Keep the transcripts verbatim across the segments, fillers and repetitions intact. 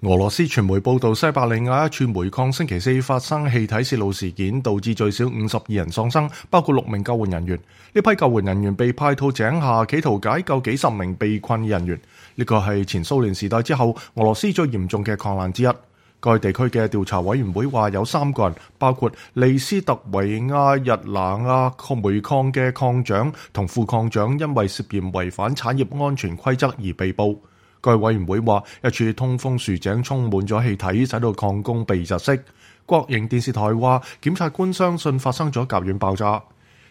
俄羅斯傳媒報道，西伯利亞一處煤礦星期四發生氣體泄漏事件，導致最少五十二人喪生，包括六名救援人員。呢批救援人員被派到井下，企圖解救幾十名被困人員。呢個係前蘇聯時代之後俄羅斯最嚴重嘅礦難之一。該地區嘅調查委員會話，有三個人，包括利斯特維亞日拿亞煤礦嘅礦長同副礦長，因為涉嫌違反產業安全規則而被捕。該委員會話，一處通風豎井充滿咗氣體，使到礦工被窒息。國營電視台話，檢察官相信發生咗甲烷爆炸。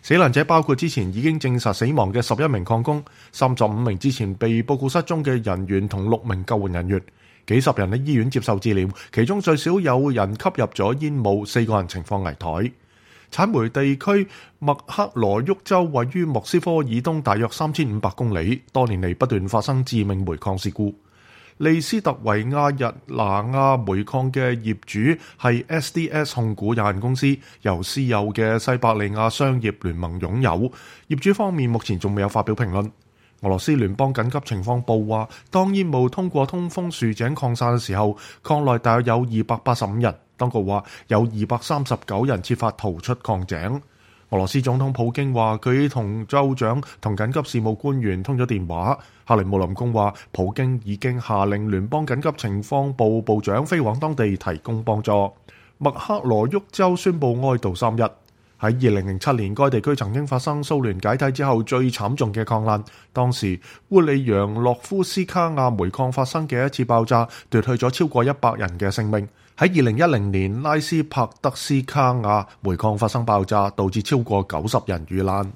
死難者包括之前已經證實死亡嘅十一名礦工、三十五名之前被報告失蹤嘅人員同六名救援人員。幾十人喺醫院接受治療，其中最少有人吸入咗煙霧，四個人情況危殆。產煤地區麥克羅沃州位於莫斯科以東大約三千五百公里，多年嚟不斷發生致命煤礦事故。利斯特維亞日拿亞煤礦嘅業主係 S D S 控股有限公司，由私有嘅西伯利亞商業聯盟擁有。業主方面目前仲未有發表評論。俄羅斯聯邦緊急情況部話，當煙霧通過通風豎井擴散嘅時候，礦內大約有二百八十五人。當局話有二百三十九人設法逃出礦井。俄羅斯總統普京話，佢同州長同緊急事務官員通咗電話。克里姆林宮話，普京已經下令聯邦緊急情況部部長飛往當地提供幫助。麥克羅沃州宣布哀悼三日。喺二零零七年，該地區曾經發生蘇聯解體之後最慘重嘅礦難。當時烏里揚洛夫斯卡亞煤礦發生嘅一次爆炸，奪去咗超過一百人嘅性命。喺二零一零年，拉斯帕德斯卡亞煤礦發生爆炸，導致超過九十人遇難。